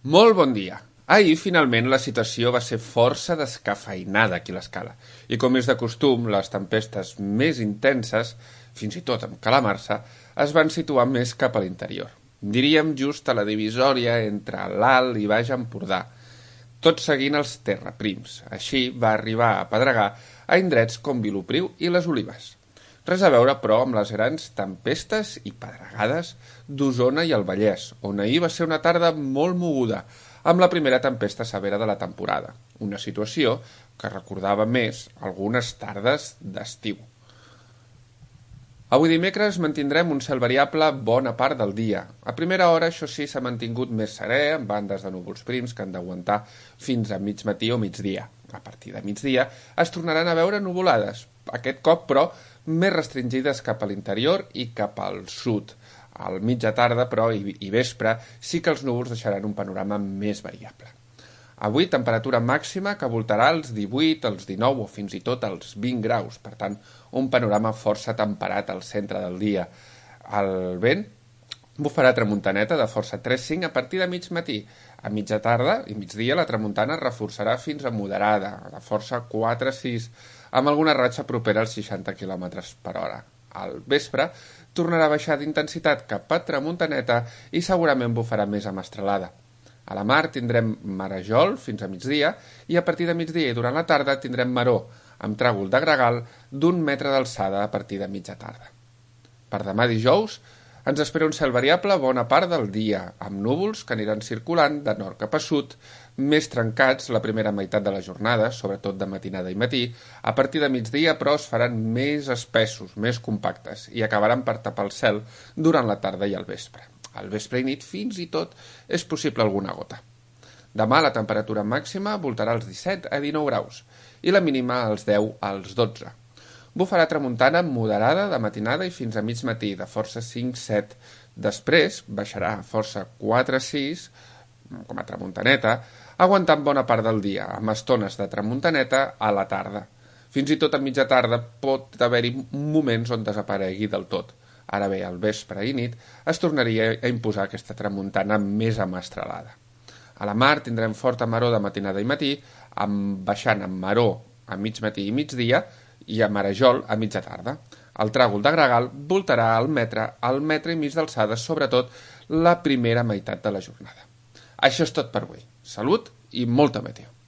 Molt bon dia. Ahir, finalment, la situació va ser força descafeinada aquí a l'escala. I com és de costum, les tempestes més intenses, fins i tot amb calamarsa, es van situar més cap a l'interior. Diríem just a la divisòria entre l'Alt i Baix Empordà, tot seguint els terraprims. Així va arribar a pedregar a indrets com Vilopriu i les Olives. Res a veure, però, amb les grans tempestes i pedregades d'Osona i el Vallès, on ahir va ser una tarda molt moguda, amb la primera tempesta severa de la temporada, una situació que recordava més algunes tardes d'estiu. Avui dimecres mantindrem un cel variable bona part del dia. A primera hora, això sí, s'ha mantingut més serè, amb bandes de núvols prims que han d'aguantar fins a mig matí o migdia. A partir de migdia es tornaran a veure nuvolades, aquest cop, però, més restringides cap a l'interior i cap al sud. Al mitja tarda, però, i vespre, sí que els núvols deixaran un panorama més variable. Avui, temperatura màxima que voltarà als 18, als 19 o fins i tot als 20 graus. Per tant, un panorama força temperat al centre del dia. El vent bufarà tramuntaneta de força 3-5 a partir de mig matí. A mitja tarda i migdia la tramuntana reforçarà fins a moderada, de força 4-6, amb alguna ratxa propera als 60 km per hora. Al vespre tornarà a baixar d'intensitat cap a tramuntaneta i segurament bufarà més a mestralada. A la mar tindrem marejol fins a migdia i a partir de migdia i durant la tarda tindrem maró, amb tràgol de gregal d'1 metre d'alçada a partir de mitja tarda. Per demà dijous ens espera un cel variable bona part del dia, amb núvols que aniran circulant de nord cap a sud, més trencats la primera meitat de la jornada, sobretot de matinada i matí. A partir de migdia, però, es faran més espessos, més compactes, i acabaran per tapar el cel durant la tarda i el vespre. Al vespre i nit, fins i tot, és possible alguna gota. Demà la temperatura màxima voltarà als 17 a 19 graus i la mínima als 10 als 12. Bufarà tramuntana moderada de matinada i fins a mig matí, de força 5-7. Després baixarà a força 4-6, com a tramuntaneta, aguantant bona part del dia, amb estones de tramuntaneta a la tarda. Fins i tot a mitja tarda pot haver-hi moments on desaparegui del tot. Ara bé, al vespre i nit es tornaria a imposar aquesta tramuntana més amestralada. A la mar tindrem forta maró de matinada i matí, baixant amb maró a mig matí i migdia i a marejol a mitja tarda. El tràgol de gregal voltarà al metre i mig d'alçada, sobretot la primera meitat de la jornada. Això és tot per avui. Salut i molta meteo.